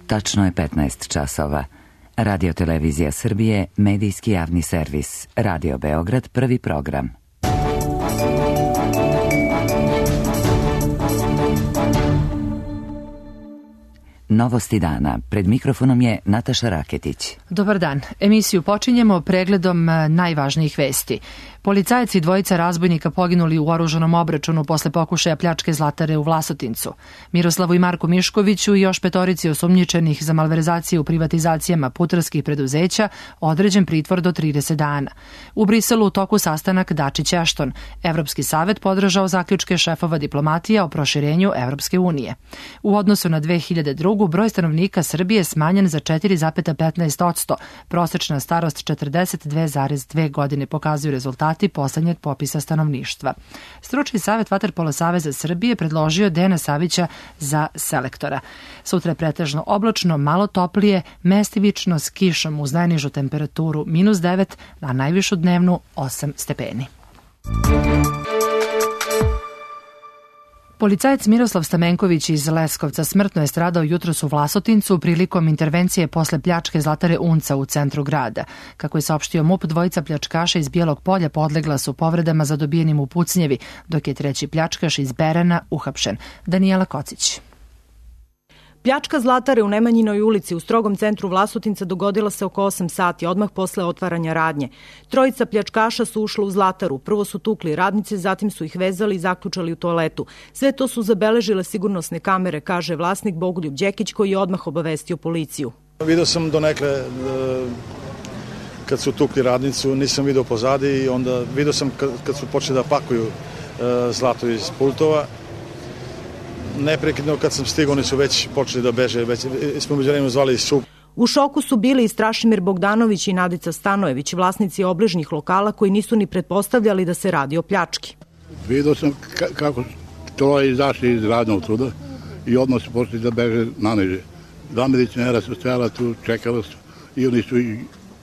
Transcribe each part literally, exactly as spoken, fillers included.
Tačno je petnaest časova. Radio Televizija Srbije, medijski javni servis. Radio Beograd, prvi program. Novosti dana. Pred mikrofonom je Nataša Raketić. Dobar dan. Emisiju počinjemo pregledom najvažnijih vesti. Policajac i dvojica razbojnika poginuli u oružanom obračunu posle pokušaja pljačke zlatare u Vlasotincu. Miroslavu i Marku Miškoviću i još petorici osumnjičenih za malverzacije u privatizacijama putarskih preduzeća određen pritvor do trideset dana. U Briselu u toku sastanak Dačić-Ashton. Evropski savet podržao zaključke šefova diplomatija o proširenju Evropske unije. U odnosu na dve hiljade drugu. broj stanovnika Srbije smanjen za četiri zarez petnaest posto. Prosečna starost četrdeset dve zarez dve godine, pokazuju rezultati poslednjeg popisa stanovništva. Stručni savet Vaterpolo saveza Srbije predložio Dejana Savića za selektora. Sutra je pretežno oblačno, malo toplije, mestivično s kišom uz najnižu temperaturu minus devet, a najvišu dnevnu osam stepeni. Policajac Miroslav Stamenković iz Leskovca smrtno je stradao jutros u Vlasotincu prilikom intervencije posle pljačke zlatare Unca u centru grada. Kako je saopštio MUP, dvojica pljačkaša iz Bijelog Polja podlegla su povredama zadobijenim u pucnjevi, dok je treći pljačkaš iz Berana uhapšen. Danijela Kocić. Pljačka zlatare u Nemanjinoj ulici u strogom centru Vlasotinca dogodila se oko osam sati, odmah posle otvaranja radnje. Trojica pljačkaša su ušla u zlataru. Prvo su tukli radnice, zatim su ih vezali i zaključali u toaletu. Sve to su zabeležile sigurnosne kamere, kaže vlasnik Bogoljub Đekić, koji je odmah obavestio policiju. Video sam donekle kad su tukli radnicu, nisam video pozadi i onda video sam kad su počeli da pakuju zlato iz pultova. Neprekidno kad sam stigao, oni su već počeli da beže, već smo među vremenu zvali sup. U šoku su bili i Strašimir Bogdanović i Nadica Stanojević, vlasnici obližnjih lokala koji nisu ni pretpostavljali da se radi o pljački. Vidio sam kako troje izašli iz radnog truda i odmah su počeli da beže na niže. Dva medicinera su stajala tu, čekala su i oni su i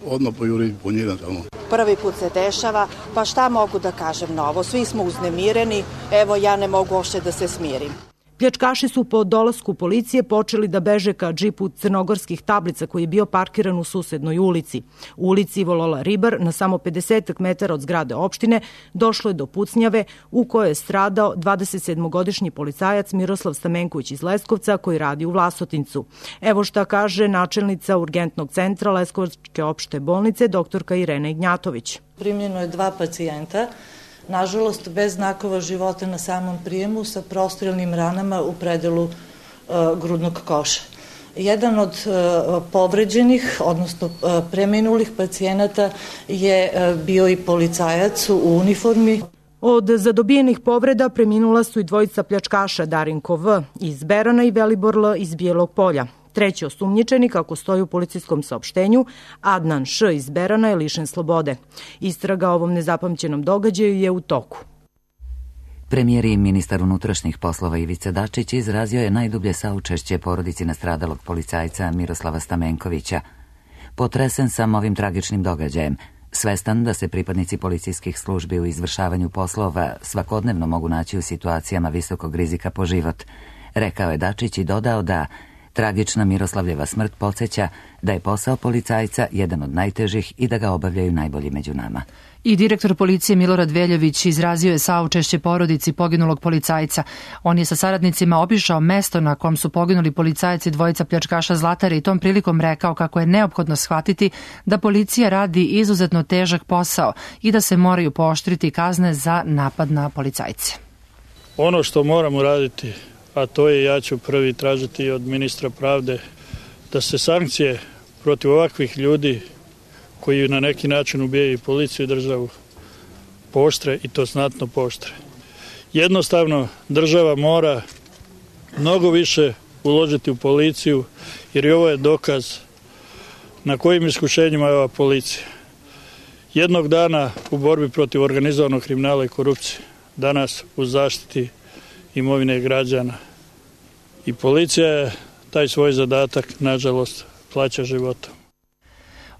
odmah pojurili po njima tamo. Prvi put se dešava, pa šta mogu da kažem novo? Svi smo uznemireni, evo ja ne mogu uopšte da se smirim. Pljačkaši su po dolasku policije počeli da beže ka džipu crnogorskih tablica koji je bio parkiran u susednoj ulici. U ulici Volola Ribar, na samo pedeset metara od zgrade opštine, došlo je do pucnjave u kojoj je stradao dvadesetsedmogodišnji policajac Miroslav Stamenković iz Leskovca koji radi u Vlasotincu. Evo šta kaže načelnica urgentnog centra Leskovačke opšte bolnice, doktorka Irena Ignjatović. Primljeno je dva pacijenta, nažalost bez znakova života na samom prijemu sa prostrilnim ranama u predelu uh, grudnog koša. Jedan od uh, povređenih, odnosno uh, preminulih pacijenata je uh, bio i policajac u uniformi. Od zadobijenih povreda preminula su i dvojica pljačkaša, Darinko V. iz Berana i Velibor L. iz Bijelog Polja. Treći osumnjičeni, kako stoji u policijskom saopštenju, Adnan Š. iz Berana je lišen slobode. Istraga o ovom nezapamćenom događaju je u toku. Premijer i ministar unutrašnjih poslova Ivica Dačić izrazio je najdublje saučešće porodici nastradalog policajca Miroslava Stamenkovića. Potresen sam ovim tragičnim događajem, svestan da se pripadnici policijskih službi u izvršavanju poslova svakodnevno mogu naći u situacijama visokog rizika po život, rekao je Dačić i dodao da tragična Miroslavljeva smrt podsjeća da je posao policajca jedan od najtežih i da ga obavljaju najbolji među nama. I direktor policije Milorad Veljović izrazio je saučešće porodici poginulog policajca. On je sa saradnicima obišao mesto na kom su poginuli policajci dvojica pljačkaša zlatare i tom prilikom rekao kako je neophodno shvatiti da policija radi izuzetno težak posao i da se moraju pooštriti kazne za napad na policajce. Ono što moramo raditi, a to je, ja ću prvi tražiti od ministra pravde, da se sankcije protiv ovakvih ljudi koji na neki način ubijaju policiju i državu pooštre i to znatno pooštre. Jednostavno država mora mnogo više uložiti u policiju jer i ovo je dokaz na kojim iskušenjima je ova policija. Jednog dana u borbi protiv organizovanog kriminala i korupcije, danas u zaštiti imovine građana. I policija je taj svoj zadatak, nažalost, plaća životom.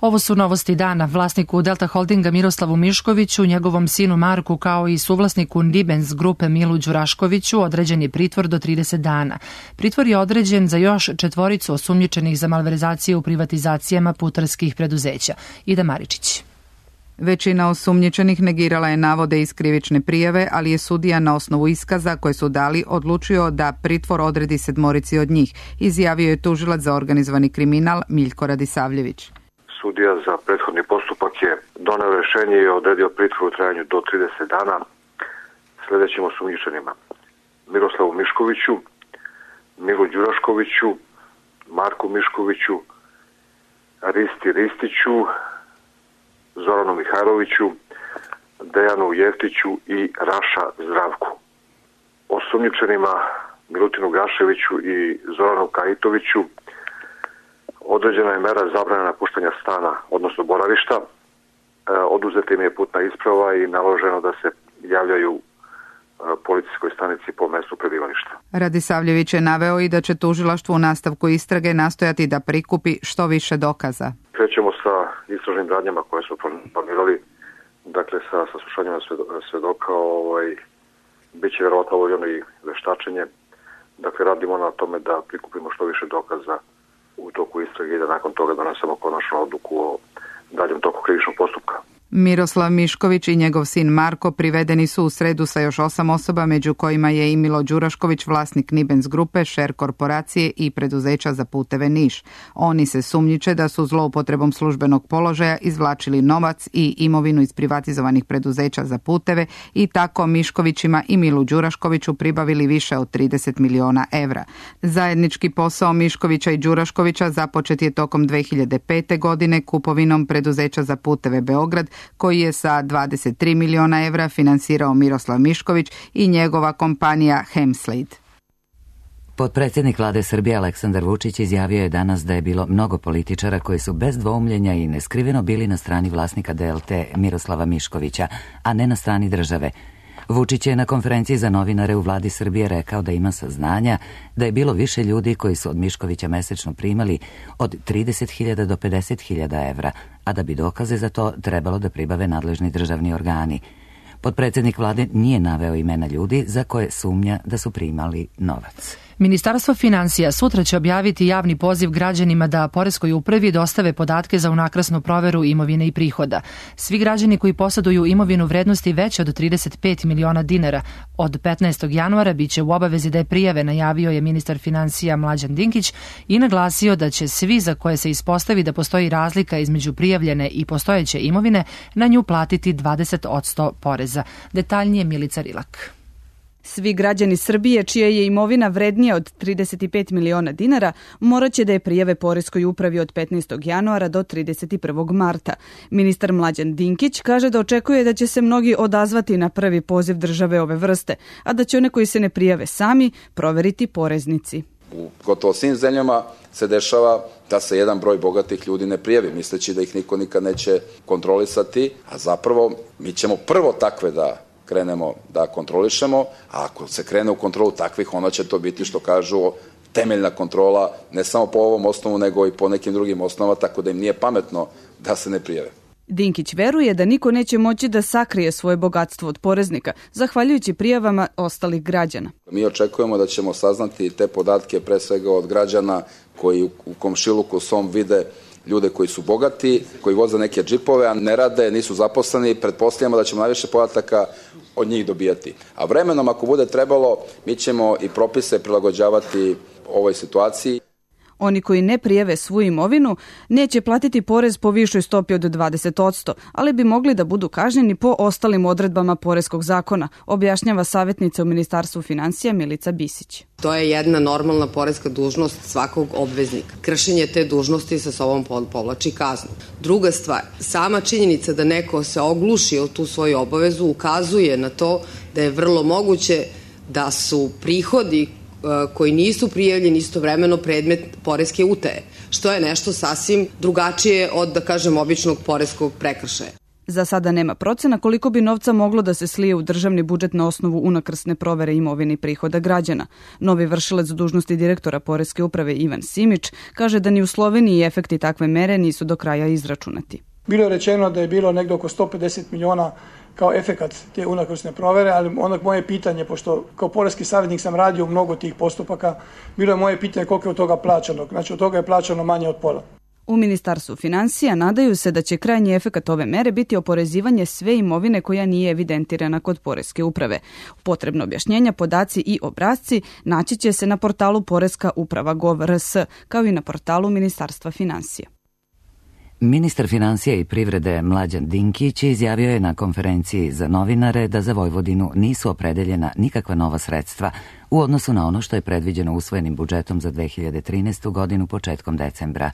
Ovo su novosti dana. Vlasniku Delta Holdinga Miroslavu Miškoviću, njegovom sinu Marku kao i suvlasniku Nibens grupe Milu Đuraškoviću određen je pritvor do trideset dana. Pritvor je određen za još četvoricu osumnjičenih za malverzacije u privatizacijama putarskih preduzeća. Ida Maričić. Većina osumnjičenih negirala je navode iz krivične prijave, ali je sudija na osnovu iskaza koje su dali odlučio da pritvor odredi sedmorici od njih, izjavio je tužilac za organizovani kriminal Miljko Radisavljević. Sudija za prethodni postupak je doneo rešenje i odredio pritvor u trajanju do trideset dana sledećim osumnjičenima: Miroslavu Miškoviću, Milu Đuraškoviću, Marku Miškoviću, Risti Ristiću, Zoranu Mihajloviću, Dejanu Jeftiću i Raša Zdravku. Osumnjičenima Milutinu Gaševiću i Zoranu Kajitoviću određena je mera zabrane napuštanja stana, odnosno boravišta. E, oduzeta im je putna isprava i naloženo da se javljaju e, policijskoj stanici po mestu prebivališta. Radisavljević je naveo i da će tužilaštvo u nastavku istrage nastojati da prikupi što više dokaza. Krećemo sa istražnim radnjama koje su planirali, dakle sa saslušanjima svedoka, ovaj, bit će verovatno obavljeno i veštačenje. Dakle, radimo na tome da prikupimo što više dokaza u toku istrage i da nakon toga donesemo konačnu odluku o daljem toku krivičnog postupka. Miroslav Mišković i njegov sin Marko privedeni su u sredu sa još osam osoba, među kojima je i Milo Đurašković, vlasnik Nibens grupe, Šer korporacije i preduzeća za puteve Niš. Oni se sumnjiče da su zloupotrebom službenog položaja izvlačili novac i imovinu iz privatizovanih preduzeća za puteve i tako Miškovićima i Milu Đuraškoviću pribavili više od trideset miliona evra. Zajednički posao Miškovića i Đuraškovića započet je tokom dve hiljade pete. godine kupovinom preduzeća za puteve Beograd, koji je sa dvadeset tri miliona evra finansirao Miroslav Mišković i njegova kompanija Hemslade. Potpredsjednik vlade Srbije Aleksandar Vučić izjavio je danas da je bilo mnogo političara koji su bez dvoumljenja i neskriveno bili na strani vlasnika D L T Miroslava Miškovića, a ne na strani države. Vučić je na konferenciji za novinare u vladi Srbije rekao da ima saznanja da je bilo više ljudi koji su od Miškovića mesečno primali od trideset hiljada do pedeset hiljada evra, a da bi dokaze za to trebalo da pribave nadležni državni organi. Potpredsjednik vlade nije naveo imena ljudi za koje sumnja da su primali novac. Ministarstvo finansija sutra će objaviti javni poziv građanima da poreskoj upravi dostave podatke za unakrasnu proveru imovine i prihoda. Svi građani koji poseduju imovinu vrednosti veće od trideset pet miliona dinara od petnaestog januara biće u obavezi da je prijave, najavio je ministar finansija Mlađan Dinkić i naglasio da će svi za koje se ispostavi da postoji razlika između prijavljene i postojeće imovine na nju platiti dvadeset posto poreza. Detaljnije Milica Rilak. Svi građani Srbije čija je imovina vrednija od trideset pet miliona dinara morat će da je prijave poreskoj upravi od petnaestog januara do trideset prvog marta. Ministar Mlađan Dinkić kaže da očekuje da će se mnogi odazvati na prvi poziv države ove vrste, a da će one koji se ne prijave sami proveriti poreznici. U gotovo svim zemljama se dešava da se jedan broj bogatih ljudi ne prijavi, misleći da ih niko nikad neće kontrolisati, a zapravo mi ćemo prvo takve da krenemo da kontrolišemo, a ako se krene u kontrolu takvih, onda će to biti, što kažu, temeljna kontrola, ne samo po ovom osnovu, nego i po nekim drugim osnovama, tako da im nije pametno da se ne prijave. Dinkić veruje da niko neće moći da sakrije svoje bogatstvo od poreznika, zahvaljujući prijavama ostalih građana. Mi očekujemo da ćemo saznati te podatke pre svega od građana koji u komšiluku svom vide ljude koji su bogati, koji voze neke džipove, a ne rade, nisu zaposleni, pretpostavljamo da ćemo najviše podataka od njih dobijati. A vremenom, ako bude trebalo, mi ćemo i propise prilagođavati ovoj situaciji. Oni koji ne prijave svu imovinu neće platiti porez po višoj stopi od dvadeset posto, ali bi mogli da budu kažnjeni po ostalim odredbama poreskog zakona, objašnjava savjetnica u Ministarstvu finansija Milica Bisić. To je jedna normalna poreska dužnost svakog obveznika. Kršenje te dužnosti sa sobom povlači kaznu. Druga stvar, sama činjenica da neko se ogluši o tu svoju obavezu ukazuje na to da je vrlo moguće da su prihodi koji nisu prijavljeni istovremeno predmet poreske utaje, što je nešto sasvim drugačije od, da kažem, običnog poreskog prekršaja. Za sada nema procena koliko bi novca moglo da se slije u državni budžet na osnovu unakrsne provere imovine i prihoda građana. Novi vršilac dužnosti direktora Poreske uprave Ivan Simić kaže da ni u Sloveniji efekti takve mere nisu do kraja izračunati. Bilo je rečeno da je bilo negdje oko sto pedeset miliona kao efekat te unakrsne provere, ali onda moje pitanje, pošto kao poreski savjetnik sam radio mnogo tih postupaka, bilo je moje pitanje koliko je od toga plaćano. Znači od toga je plaćano manje od pola. U Ministarstvu financija nadaju se da će krajnji efekat ove mere biti oporezivanje sve imovine koja nije evidentirana kod Poreske uprave. Potrebno objašnjenja, podaci i obrasci naći će se na portalu poreska uprava gov er es, kao i na portalu Ministarstva financija. Ministar financija i privrede Mlađan Dinkić izjavio je na konferenciji za novinare da za Vojvodinu nisu opredeljena nikakva nova sredstva u odnosu na ono što je predviđeno usvojenim budžetom za dve hiljade trinaestu. godinu početkom decembra.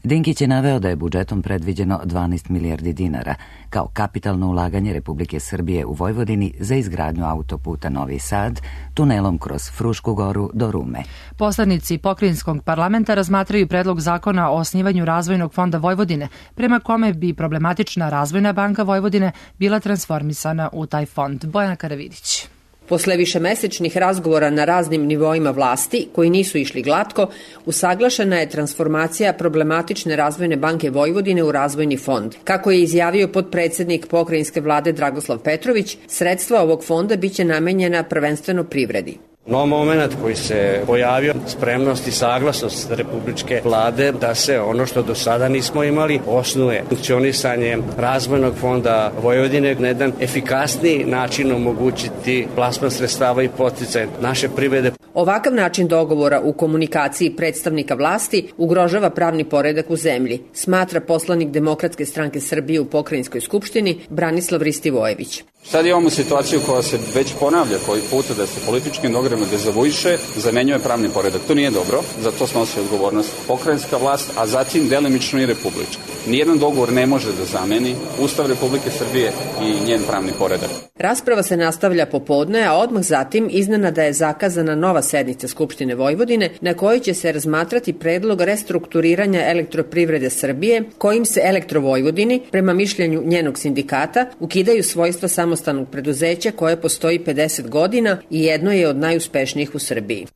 Dinkić je naveo da je budžetom predviđeno dvanaest milijardi dinara kao kapitalno ulaganje Republike Srbije u Vojvodini za izgradnju autoputa Novi Sad tunelom kroz Frušku goru do Rume. Poslanici Pokrajinskog parlamenta razmatraju predlog zakona o osnivanju Razvojnog fonda Vojvodine, prema kome bi problematična Razvojna banka Vojvodine bila transformisana u taj fond. Bojana Karavidić. Posle višemesečnih razgovora na raznim nivoima vlasti, koji nisu išli glatko, usaglašena je transformacija problematične Razvojne banke Vojvodine u Razvojni fond. Kako je izjavio potpredsednik pokrajinske vlade Dragoslav Petrović, sredstva ovog fonda biće namenjena prvenstveno privredi. No moment koji se pojavio, spremnost i saglasnost republičke vlade da se ono što do sada nismo imali osnuje funkcionisanje Razvojnog fonda Vojvodine na jedan efikasniji način omogućiti plasman sredstava i poticaj naše privrede. Ovakav način dogovora u komunikaciji predstavnika vlasti ugrožava pravni poredak u zemlji, smatra poslanik Demokratske stranke Srbije u Pokrajinskoj skupštini Branislav Ristivojević. Sad imamo situaciju koja se već ponavlja koji puta da se političkim dogovorima dezavuiše, zamenjuje pravni poredak. To nije dobro, za to snosi odgovornost pokrajinska vlast, a zatim delimično i republička. Nijedan dogovor ne može da zameni Ustav Republike Srbije i njen pravni poredak. Rasprava se nastavlja popodne, a odmah zatim iznenada je zakazana nova sednica Skupštine Vojvodine na kojoj će se razmatrati predlog restrukturiranja Elektroprivrede Srbije, kojim se Elektrovojvodini, prema mišljenju njenog sindikata, ukidaju svojstva samostalnog preduzeća koje postoji pedeset godina i jedno je od najuspešnijih u Srbiji.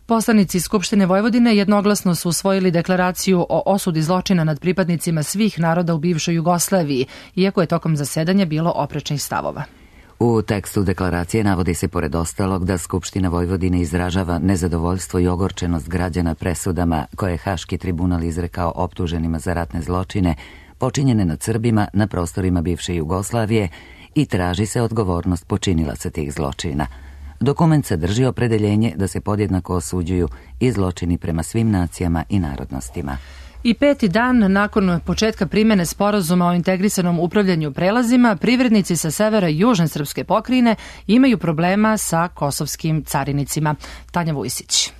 Poslanici Skupštine Vojvodine jednoglasno su usvojili deklaraciju o osudi zločina nad pripadnicima svih naroda u bivšoj Jugoslaviji, iako je tokom zasedanja bilo oprečnih stavova. U tekstu deklaracije navodi se pored ostalog da Skupština Vojvodine izražava nezadovoljstvo i ogorčenost građana presudama koje je Haški tribunal izrekao optuženima za ratne zločine počinjene nad Srbima na prostorima bivše Jugoslavije i traži se odgovornost počinilaca tih zločina. Dokument sadrži opredeljenje da se podjednako osuđuju i zločini prema svim nacijama i narodnostima. I peti dan nakon početka primjene sporazuma o integrisanom upravljanju prelazima, privrednici sa severa i južne srpske pokrajine imaju problema sa kosovskim carinicima. Tanja Vujsić.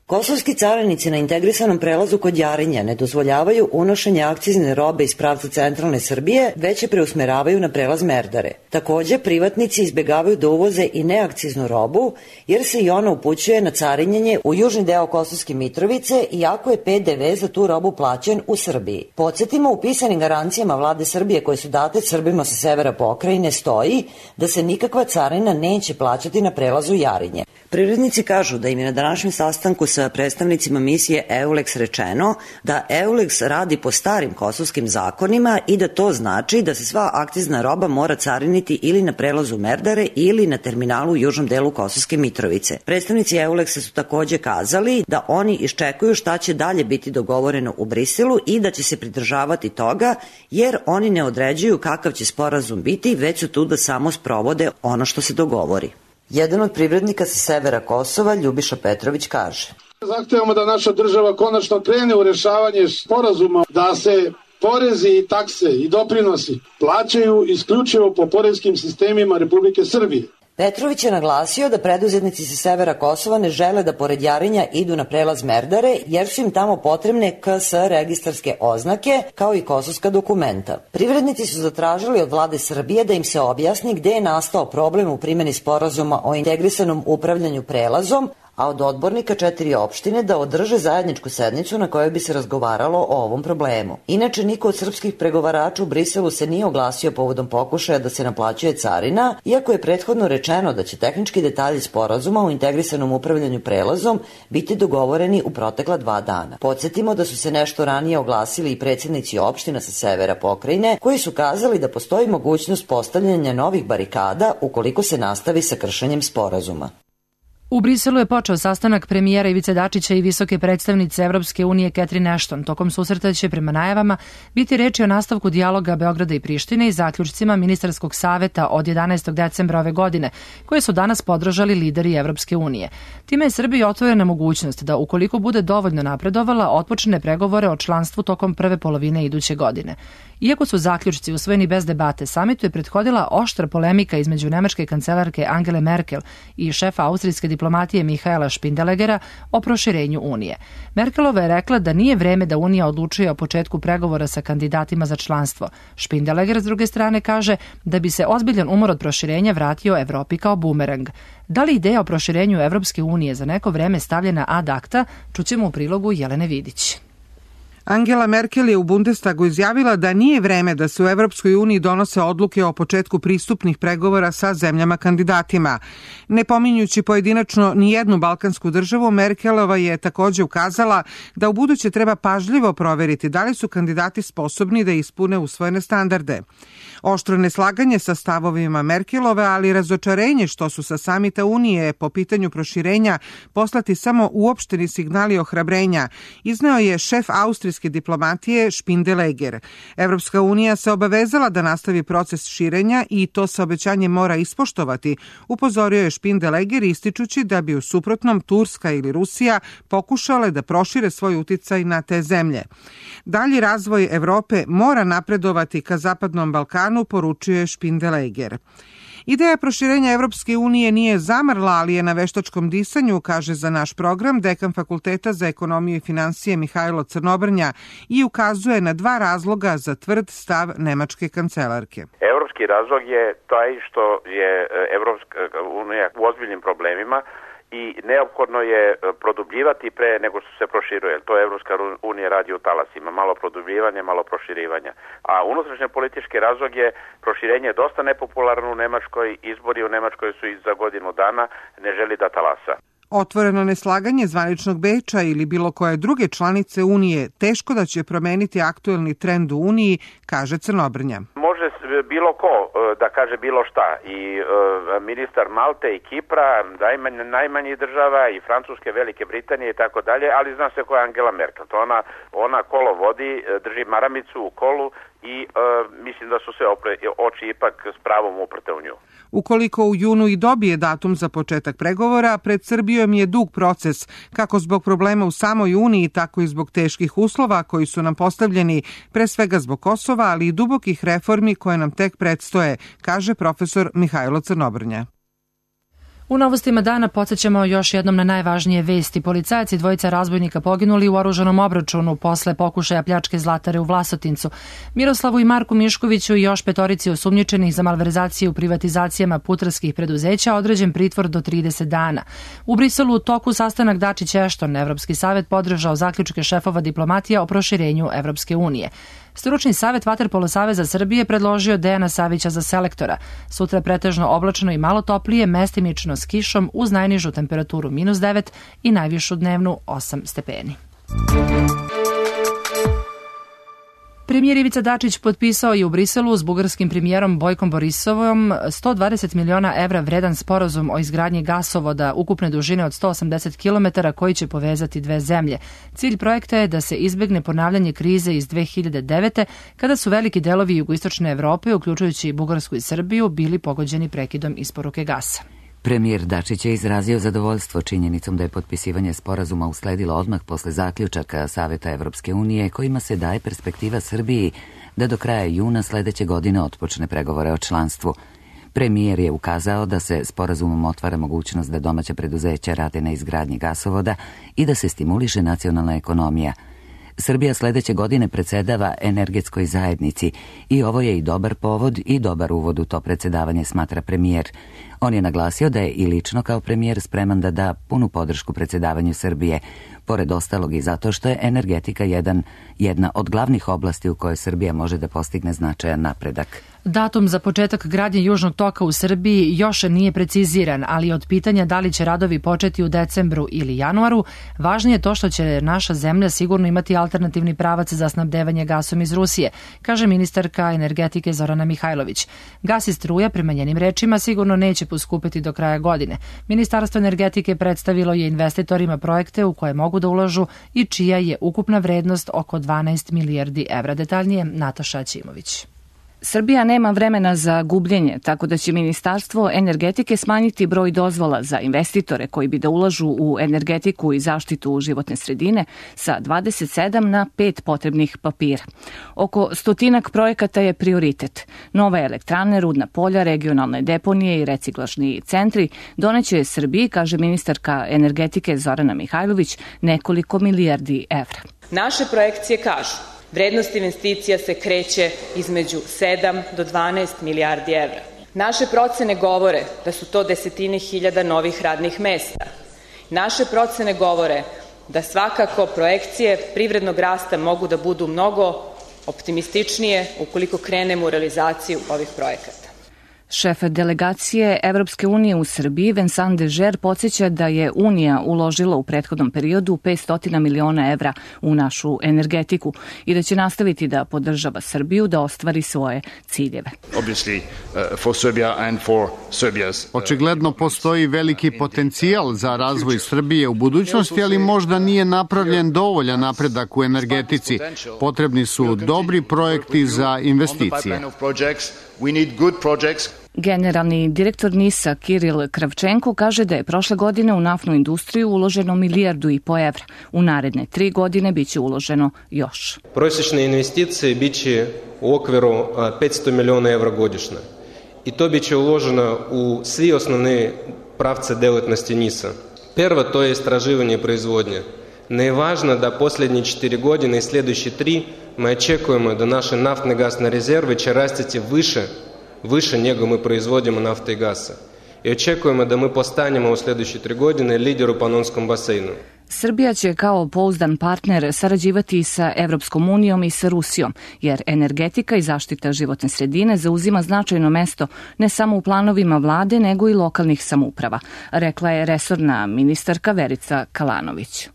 Kosovski carinici na integrisanom prelazu kod Jarinja ne dozvoljavaju unošenje akcizne robe iz pravca centralne Srbije, već je preusmeravaju na prelaz Merdare. Takođe, privatnici izbegavaju da uvoze i neakciznu robu, jer se i ona upućuje na carinjenje u južni deo Kosovske Mitrovice, iako je pe de ve za tu robu plaćen u Srbiji. Podsjetimo, u pisanim garancijama vlade Srbije koje su date Srbima sa severa pokrajine stoji da se nikakva carina neće plaćati na prelazu Jarinje. Privrednici kažu da im je na današnjem sastanku sa predstavnicima misije EULEX rečeno da EULEX radi po starim kosovskim zakonima i da to znači da se sva akcizna roba mora cariniti ili na prelazu Merdare ili na terminalu u južnom delu Kosovske Mitrovice. Predstavnici EULEX-a su takođe kazali da oni iščekuju šta će dalje biti dogovoreno u Briselu i da će se pridržavati toga, jer oni ne određuju kakav će sporazum biti, već su tu da samo sprovode ono što se dogovori. Jedan od privrednika sa severa Kosova, Ljubiša Petrović, kaže: Zahtevamo da naša država konačno krene u rešavanje sporazuma, da se porezi i takse i doprinosi plaćaju isključivo po poreskim sistemima Republike Srbije. Petrović je naglasio da preduzetnici sa severa Kosova ne žele da pored Jarinja idu na prelaz Merdare, jer su im tamo potrebne ka es registarske oznake, kao i kosovska dokumenta. Privrednici su zatražili od vlade Srbije da im se objasni gde je nastao problem u primjeni sporazuma o integrisanom upravljanju prelazom, a od odbornika četiri opštine da održe zajedničku sednicu na kojoj bi se razgovaralo o ovom problemu. Inače, niko od srpskih pregovarača u Briselu se nije oglasio povodom pokušaja da se naplaćuje carina, iako je prethodno rečeno da će tehnički detalji sporazuma u integrisanom upravljanju prelazom biti dogovoreni u protekla dva dana. Podsjetimo da su se nešto ranije oglasili i predsjednici opština sa severa pokrajine, koji su kazali da postoji mogućnost postavljanja novih barikada ukoliko se nastavi sa kršenjem sporazuma. U Briselu je počeo sastanak premijera Ivice Dačića i visoke predstavnice Evropske unije Catherine Ashton. Tokom susreta će, prema najavama, biti reči o nastavku dijaloga Beograda i Prištine i zaključcima ministarskog saveta od jedanaestog decembra ove godine, koje su danas podržali lideri Evropske unije. Time je Srbiji otvorena mogućnost da, ukoliko bude dovoljno napredovala, otpočne pregovore o članstvu tokom prve polovine iduće godine. Iako su zaključci usvojeni bez debate, samitu je prethodila oštra polemika između nemačke kancelarke Angele Merkel i šefa austrijske diplomatije Mihaela Špindelegera o proširenju Unije. Merkelova je rekla da nije vreme da Unija odlučuje o početku pregovora sa kandidatima za članstvo. Špindeleger, s druge strane, kaže da bi se ozbiljan umor od proširenja vratio Evropi kao bumerang. Da li ideja o proširenju Evropske unije za neko vreme stavljena ad acta, čućemo u prilogu Jelene Vidić. Angela Merkel je u Bundestagu izjavila da nije vreme da se u Evropskoj uniji donose odluke o početku pristupnih pregovora sa zemljama kandidatima. Ne pominjući pojedinačno ni jednu balkansku državu, Merkelova je takođe ukazala da u buduće treba pažljivo proveriti da li su kandidati sposobni da ispune usvojene standarde. Oštro neslaganje sa stavovima Merkelove, ali i razočarenje što su sa samita Unije po pitanju proširenja poslati samo uopšteni signali ohrabrenja, izneo je šef austrijske diplomatije Špindeleger. Evropska unija se obavezala da nastavi proces širenja i to se obećanje mora ispoštovati, upozorio je Špindeleger ističući da bi u suprotnom Turska ili Rusija pokušale da prošire svoj uticaj na te zemlje. Dalji razvoj Evrope mora napredovati ka Zapadnom Balkanu, poručuje Špindeleger. Ideja proširenja Evropske unije nije zamrla, ali je na veštačkom disanju, kaže za naš program dekan Fakulteta za ekonomiju i finansije Mihajlo Crnobrnja i ukazuje na dva razloga za tvrd stav nemačke kancelarke. Evropski razlog je taj što je Evropska unija u ozbiljnim problemima i neophodno je produbljivati pre nego što se proširuje. To Evropska unija radi u talasima, malo produbljivanja, malo proširivanja. A unutrašnje politički razlog je proširenje dosta nepopularno u Nemačkoj, izbori u Nemačkoj su i za godinu dana, ne želi da talasa. Otvoreno neslaganje zvaničnog Beča ili bilo koje druge članice Unije teško da će promeniti aktuelni trend u Uniji, kaže Crnobrnja. Može bilo ko da kaže bilo šta i ministar Malte i Kipra, najmanjih država i Francuske, Velike Britanije i tako dalje, ali zna se ko je Angela Merkel. To ona, ona kolo vodi, drži maramicu u kolu i e, mislim da su se opre, oči ipak s pravom uprte u nju. Ukoliko u junu i dobije datum za početak pregovora, pred Srbijom je dug proces, kako zbog problema u samoj Uniji, tako i zbog teških uslova koji su nam postavljeni, pre svega zbog Kosova, ali i dubokih reformi koje nam tek predstoje, kaže profesor Mihajlo Crnobrnja. U novostima dana podsjećamo još jednom na najvažnije vesti. Policajac i dvojica razbojnika poginuli u oružanom obračunu posle pokušaja pljačke zlatare u Vlasotincu. Miroslavu i Marku Miškoviću i još petorici osumnjičenih za malverzacije u privatizacijama putarskih preduzeća određen pritvor do trideset dana. U Briselu u toku sastanak Dačić-Ashton, Evropski savet podržao zaključke šefova diplomatija o proširenju Evropske unije. Stručni savet Vaterpolo saveza Srbije predložio Dejana Savića za selektora. Sutra pretežno oblačno i malo toplije, mestimično s kišom uz najnižu temperaturu minus devet i najvišu dnevnu osam stepeni. Premijer Ivica Dačić potpisao je u Briselu s bugarskim premijerom Bojkom Borisovom sto dvadeset miliona evra vredan sporazum o izgradnji gasovoda ukupne dužine od sto osamdeset kilometara koji će povezati dve zemlje. Cilj projekta je da se izbegne ponavljanje krize iz dve hiljade devete kada su veliki delovi jugoistočne Evrope, uključujući i Bugarsku i Srbiju, bili pogođeni prekidom isporuke gasa. Premijer Dačić je izrazio zadovoljstvo činjenicom da je potpisivanje sporazuma usledilo odmah posle zaključaka Saveta Evropske unije kojima se daje perspektiva Srbiji da do kraja juna sledeće godine otpočne pregovore o članstvu. Premijer je ukazao da se sporazumom otvara mogućnost da domaća preduzeća rade na izgradnji gasovoda i da se stimuliše nacionalna ekonomija. Srbija sledeće godine predsedava energetskoj zajednici i ovo je i dobar povod i dobar uvod u to predsedavanje, smatra premijer. On je naglasio da je i lično kao premijer spreman da da punu podršku predsjedavanju Srbije, pored ostalog i zato što je energetika jedan, jedna od glavnih oblasti u kojoj Srbija može da postigne značajan napredak. Datum za početak gradnje Južnog toka u Srbiji još nije preciziran, ali od pitanja da li će radovi početi u decembru ili januaru, važnije je to što će naša zemlja sigurno imati alternativni pravac za snabdevanje gasom iz Rusije, kaže ministarka energetike Zorana Mihajlović. Gas i struja, prema njenim rečima, sigurno neće poskupiti do kraja godine. Ministarstvo energetike predstavilo je investitorima projekte u koje mogu da ulažu i čija je ukupna vrednost oko dvanaest milijardi evra. Detaljnije Nataša Ćimović. Srbija nema vremena za gubljenje, tako da će Ministarstvo energetike smanjiti broj dozvola za investitore koji bi da ulažu u energetiku i zaštitu životne sredine sa dvadeset sedam na pet potrebnih papira. Oko stotinak projekata je prioritet. Nove elektrane, rudna polja, regionalne deponije i reciklažni centri doneće Srbiji, kaže ministarka energetike Zorana Mihajlović, nekoliko milijardi evra. Naše projekcije kažu: vrednost investicija se kreće između sedam do dvanaest milijardi evra. Naše procene govore da su to desetine hiljada novih radnih mesta. Naše procene govore da svakako projekcije privrednog rasta mogu da budu mnogo optimističnije ukoliko krenemo u realizaciju ovih projekata. Šef delegacije Evropske unije u Srbiji, Vincent Dežer, podsjeća da je Unija uložila u prethodnom periodu petsto miliona evra u našu energetiku i da će nastaviti da podržava Srbiju da ostvari svoje ciljeve. Očigledno postoji veliki potencijal za razvoj Srbije u budućnosti, ali možda nije napravljen dovoljan napredak u energetici. Potrebni su dobri projekti za investicije. Generalni direktor NIS-a Kiril Kravčenko kaže da je prošle godine u naftnu industriju uloženo milijardu i po evra. U naredne tri godine biće uloženo još. Prosječne investicije biće u okviru petsto miliona evra godišnje. I to biće uloženo u svi osnovne pravce delatnosti NIS-a. Prvo, to je istraživanje i proizvodnje. Ne je važno da posljednje četiri godine i sljedeće tri mi očekujemo da naše naftne gasne rezerve će rastiti više više nego mi proizvodimo nafte i gasa. I očekujemo da mi postanemo u sljedeće tri godine lider u Panonskom basenu. Srbija će kao pouzdan partner sarađivati i sa Evropskom unijom i sa Rusijom, jer energetika i zaštita životne sredine zauzima značajno mesto ne samo u planovima vlade, nego i lokalnih samouprava, rekla je resorna ministarka Verica Kalanović.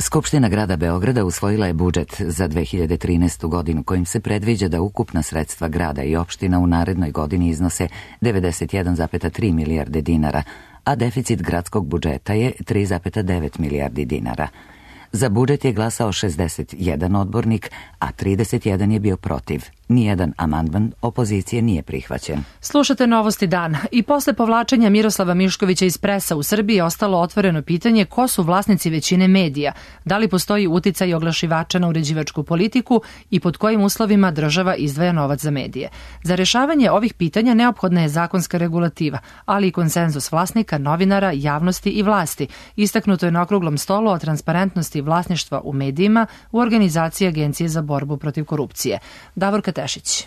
Skupština grada Beograda usvojila je budžet za dve hiljade trinaestu. godinu kojim se predviđa da ukupna sredstva grada i opština u narednoj godini iznose devedeset jedan zarez tri milijarde dinara, a deficit gradskog budžeta je tri zarez devet milijardi dinara. Za budžet je glasao šezdeset jedan odbornik, a trideset jedan je bio protiv. Nijedan amandman opozicije nije prihvaćen. Slušate Novosti dana. I posle povlačenja Miroslava Miškovića iz Presa u Srbiji je ostalo otvoreno pitanje ko su vlasnici većine medija, da li postoji uticaj oglašivača na uređivačku politiku i pod kojim uslovima država izdvaja novac za medije. Za rešavanje ovih pitanja neophodna je zakonska regulativa, ali i konsenzus vlasnika, novinara, javnosti i vlasti. Istaknuto je na okruglom stolu o transparentnosti vlasništva u medijima u organizaciji Agencije za borbu protiv korupcije. Davorka Tešić.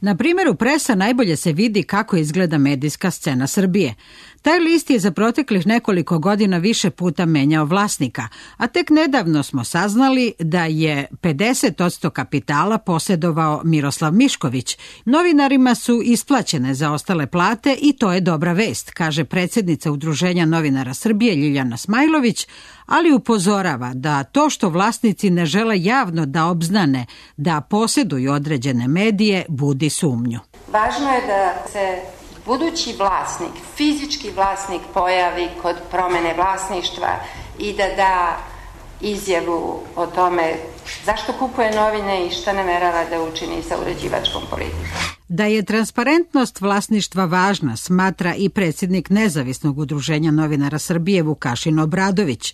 Na primjeru Presa najbolje se vidi kako izgleda medijska scena Srbije. Taj list je za proteklih nekoliko godina više puta menjao vlasnika, a tek nedavno smo saznali da je pedeset posto kapitala posjedovao Miroslav Mišković. Novinarima su isplaćene zaostale plate i to je dobra vest, kaže predsjednica Udruženja novinara Srbije Ljiljana Smajlović, ali upozorava da to što vlasnici ne žele javno da obznane da posjeduju određene medije budi sumnju. Važno je da se budući vlasnik, fizički vlasnik pojavi kod promjene vlasništva i da da izjavu o tome zašto kupuje novine i šta namerava da učini sa uređivačkom politikom. Da je transparentnost vlasništva važna, smatra i predsjednik Nezavisnog udruženja novinara Srbije Vukašin Obradović.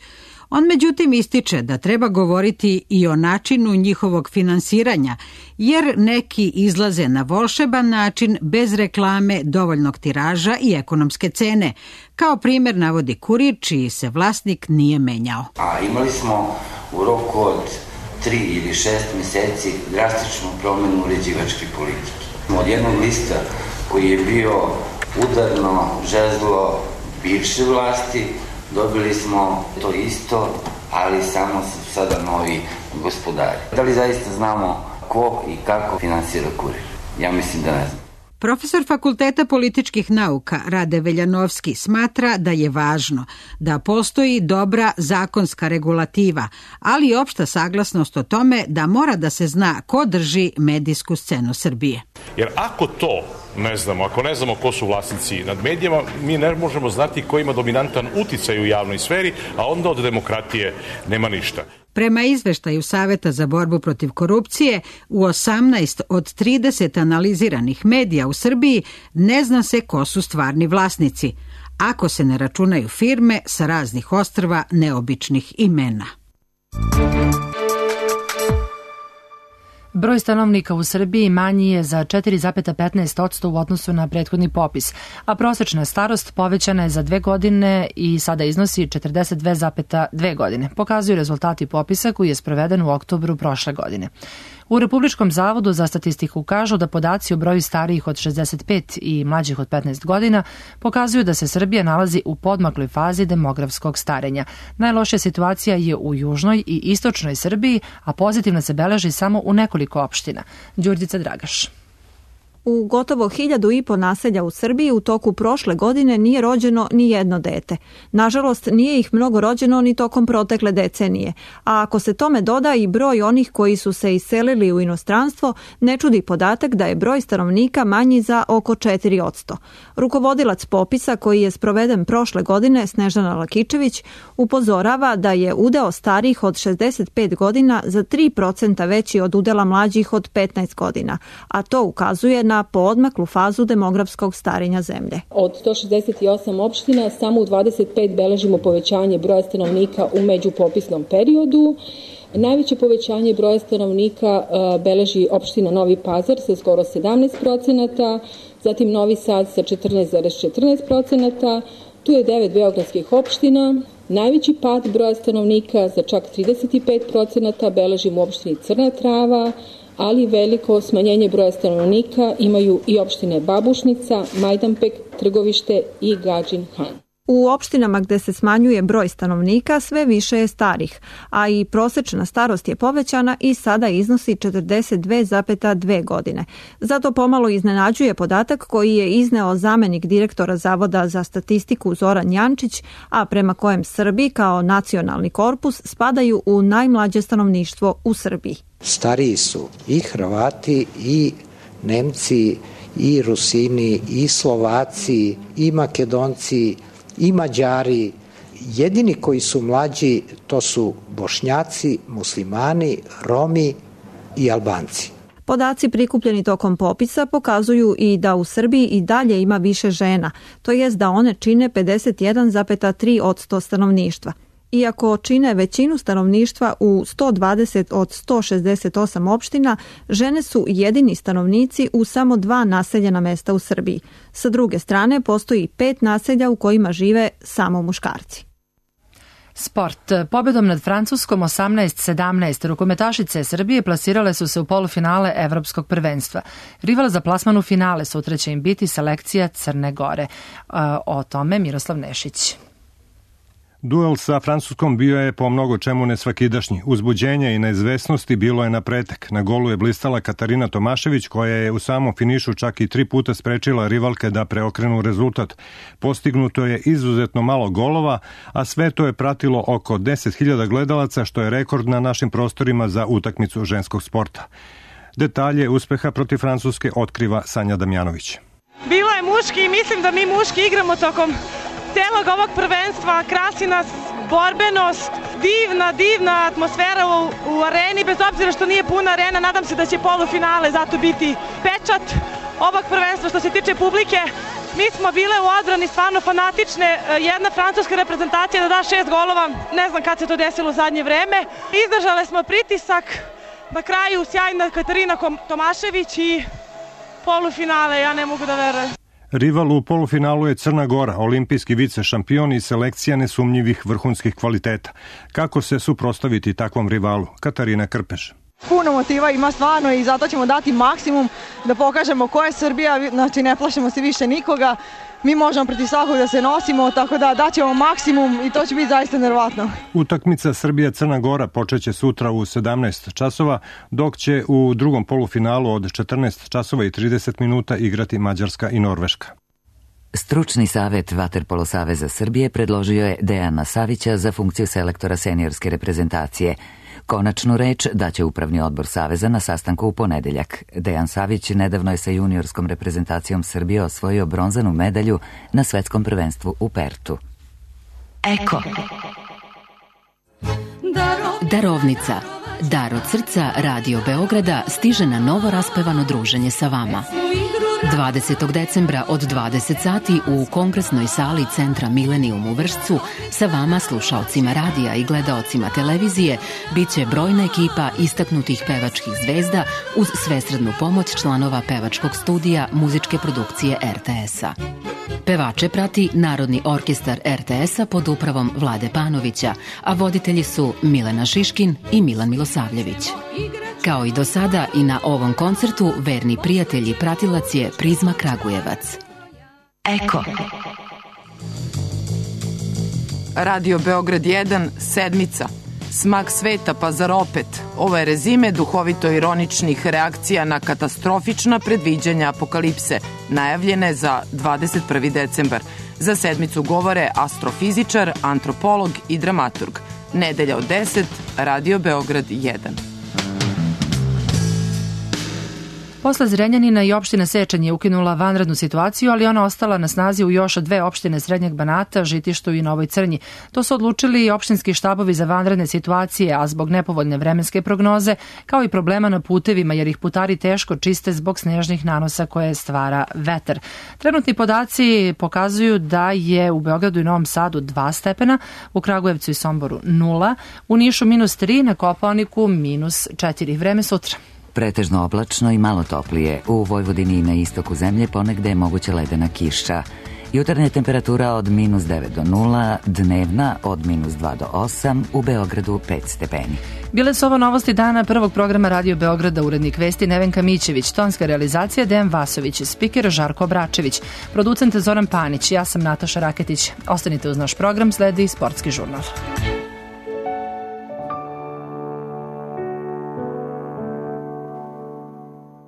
On međutim ističe da treba govoriti i o načinu njihovog finansiranja, jer neki izlaze na volšeban način bez reklame, dovoljnog tiraža i ekonomske cene. Kao primjer navodi Kurir, čiji se vlasnik nije menjao. A imali smo u roku od tri ili šest mjeseci drastičnu promjenu uređivačke politike. Od jednog lista koji je bio udarno žezlo bivše vlasti, dobili smo to isto, ali samo su sada novi gospodari. Da li zaista znamo ko i kako finansira Kurir? Ja mislim da ne znam. Profesor Fakulteta političkih nauka Rade Veljanovski smatra da je važno da postoji dobra zakonska regulativa, ali i opšta saglasnost o tome da mora da se zna ko drži medijsku scenu Srbije. Jer ako to ne znamo, ako ne znamo ko su vlasnici nad medijama, mi ne možemo znati ko ima dominantan uticaj u javnoj sferi, a onda od demokratije nema ništa. Prema izveštaju Saveta za borbu protiv korupcije, u osamnaest od trideset analiziranih medija u Srbiji ne zna se ko su stvarni vlasnici, ako se ne računaju firme sa raznih ostrva neobičnih imena. Broj stanovnika u Srbiji manji je za četiri zarez petnaest posto u odnosu na prethodni popis, a prosečna starost povećana je za dve godine i sada iznosi četrdeset dve zarez dve godine, pokazuju rezultati popisa koji je sproveden u oktobru prošle godine. U Republičkom zavodu za statistiku kažu da podaci o broju starijih od šezdeset pet i mlađih od petnaest godina pokazuju da se Srbija nalazi u podmakloj fazi demografskog starenja. Najlošija situacija je u južnoj i istočnoj Srbiji, a pozitivno se beleži samo u nekoliko opština. Đurđica Dragaš. U gotovo hiljadu i po naselja u Srbiji u toku prošle godine nije rođeno ni jedno dete. Nažalost, nije ih mnogo rođeno ni tokom protekle decenije. A ako se tome doda i broj onih koji su se iselili u inostranstvo, ne čudi podatak da je broj stanovnika manji za oko četiri posto. Rukovodilac popisa koji je sproveden prošle godine, Snežana Lakičević, upozorava da je udeo starih od šezdeset pet godina za tri procenta veći od udela mlađih od petnaest godina, a to ukazuje na poodmaklu fazu demografskog starenja zemlje. Od sto šezdeset osam opština samo u dvadeset pet beležimo povećanje broja stanovnika u međupopisnom periodu. Najveće povećanje broja stanovnika beleži opština Novi Pazar sa skoro sedamnaest procenata, zatim Novi Sad sa četrnaest zarez četrnaest procenata, tu je devet beogradskih opština. Najveći pad broja stanovnika za čak trideset pet procenata beležimo u opštini Crna Trava, ali veliko smanjenje broja stanovnika imaju i opštine Babušnica, Majdanpek, Trgovište i Gadžin Han. U opštinama gde se smanjuje broj stanovnika sve više je starih, a i prosečna starost je povećana i sada iznosi četrdeset dve zarez dve godine. Zato pomalo iznenađuje podatak koji je izneo zamenik direktora Zavoda za statistiku Zoran Jančić, a prema kojem Srbi kao nacionalni korpus spadaju u najmlađe stanovništvo u Srbiji. Stariji su i Hrvati i Nemci i Rusini i Slovaci i Makedonci i Mađari. Jedini koji su mlađi to su Bošnjaci, Muslimani, Romi i Albanci. Podaci prikupljeni tokom popisa pokazuju i da u Srbiji i dalje ima više žena, to jest da one čine pedeset jedan zarez tri posto stanovništva. Iako čine većinu stanovništva u sto dvadeset od sto šezdeset osam opština, žene su jedini stanovnici u samo dva naseljena mesta u Srbiji. Sa druge strane, postoji pet naselja u kojima žive samo muškarci. Sport. Pobedom nad Francuskom osamnaest sedamnaest rukometašice Srbije plasirale su se u polufinale Evropskog prvenstva. Rival za plasman u finale sutra će im biti selekcija Crne Gore. O tome Miroslav Nešić. Duel sa Francuskom bio je po mnogo čemu nesvakidašnji. Uzbuđenje i neizvesnosti bilo je na pretek. Na golu je blistala Katarina Tomašević, koja je u samom finišu čak i tri puta sprečila rivalke da preokrenu rezultat. Postignuto je izuzetno malo golova, a sve to je pratilo oko deset hiljada gledalaca, što je rekord na našim prostorima za utakmicu ženskog sporta. Detalje uspeha protiv Francuske otkriva Sanja Damjanović. Bilo je muški i mislim da mi muški igramo tokom celog ovog prvenstva, krasi nas borbenost, divna, divna atmosfera u, u areni, bez obzira što nije puna arena, nadam se da će polufinale zato biti pečat ovog prvenstva. Što se tiče publike, mi smo bile u odbrani stvarno fanatične, jedna francuska reprezentacija da da šest golova, ne znam kad se to desilo u zadnje vreme. Izdržale smo pritisak, na kraju sjajna Katarina Tomašević i polufinale, ja ne mogu da verujem. Rival u polufinalu je Crna Gora, olimpijski vice šampion i selekcija nesumnjivih vrhunskih kvaliteta. Kako se suprotstaviti takvom rivalu? Katarina Krpeš. Puno motiva ima stvarno i zato ćemo dati maksimum da pokažemo ko je Srbija, znači ne plašimo se više nikoga, mi možemo protiv svakog da se nosimo, tako da daćemo maksimum i to će biti zaista nervatno. Utakmica Srbija-Crna Gora počeće sutra u sedamnaest časova, dok će u drugom polufinalu od četrnaest časova i trideset minuta igrati Mađarska i Norveška. Stručni savet Vaterpolo saveza Srbije predložio je Dejana Savića za funkciju selektora seniorske reprezentacije. Konačnu reč daće upravni odbor saveza na sastanku u ponedeljak. Dejan Savić nedavno je sa juniorskom reprezentacijom Srbije osvojio bronzanu medalju na svetskom prvenstvu u Pertu. Eko. Darovnica. Dar od srca Radio Beograda stiže na novo raspevano druženje sa vama. dvadesetog decembra od dvadeset sati u kongresnoj sali Centra Milenijum u Vršcu sa vama, slušaocima radija i gledaocima televizije, bit će brojna ekipa istaknutih pevačkih zvezda uz svesrednu pomoć članova pevačkog studija muzičke produkcije er te es-a. Pevače prati Narodni orkestar er te es-a pod upravom Vlade Panovića, a voditelji su Milena Šiškin i Milan Milosavljević. Kao i do sada i na ovom koncertu verni prijatelj i pratilac je Prizma Kragujevac. Eko. Radio Beograd jedan, sedmica. Smak sveta pa zar opet? Ovo je rezime duhovito-ironičnih reakcija na katastrofična predviđanja apokalipse, najavljene za dvadeset prvi decembar. Za sedmicu govore astrofizičar, antropolog i dramaturg. Nedelja od deset, Radio Beograd jedan. Posle Zrenjanina i opština Sečanj je ukinula vanrednu situaciju, ali ona ostala na snazi u još dve opštine Srednjeg Banata, Žitištu i Novoj Crnji. To su odlučili i opštinski štabovi za vanredne situacije, a zbog nepovoljne vremenske prognoze, kao i problema na putevima, jer ih putari teško čiste zbog snežnih nanosa koje stvara vetar. Trenutni podaci pokazuju da je u Beogradu i Novom Sadu dva stepena, u Kragujevcu i Somboru nula, u Nišu minus tri, na Kopaoniku minus četiri. Vreme sutra. Pretežno oblačno i malo toplije. U Vojvodini i na istoku zemlje ponegde je moguća ledena kiša. Jutarnja temperatura od minus devet do nula, dnevna od minus dva do osam, u Beogradu pet stepeni. Bile su ovo novosti dana prvog programa Radio Beograda, urednik vesti Nevenka Mićević, tonska realizacija Dejan Vasović, spiker Žarko Bračević, producent Zoran Panić, ja sam Nataša Raketić. Ostanite uz naš program, sledi Sportski žurnal.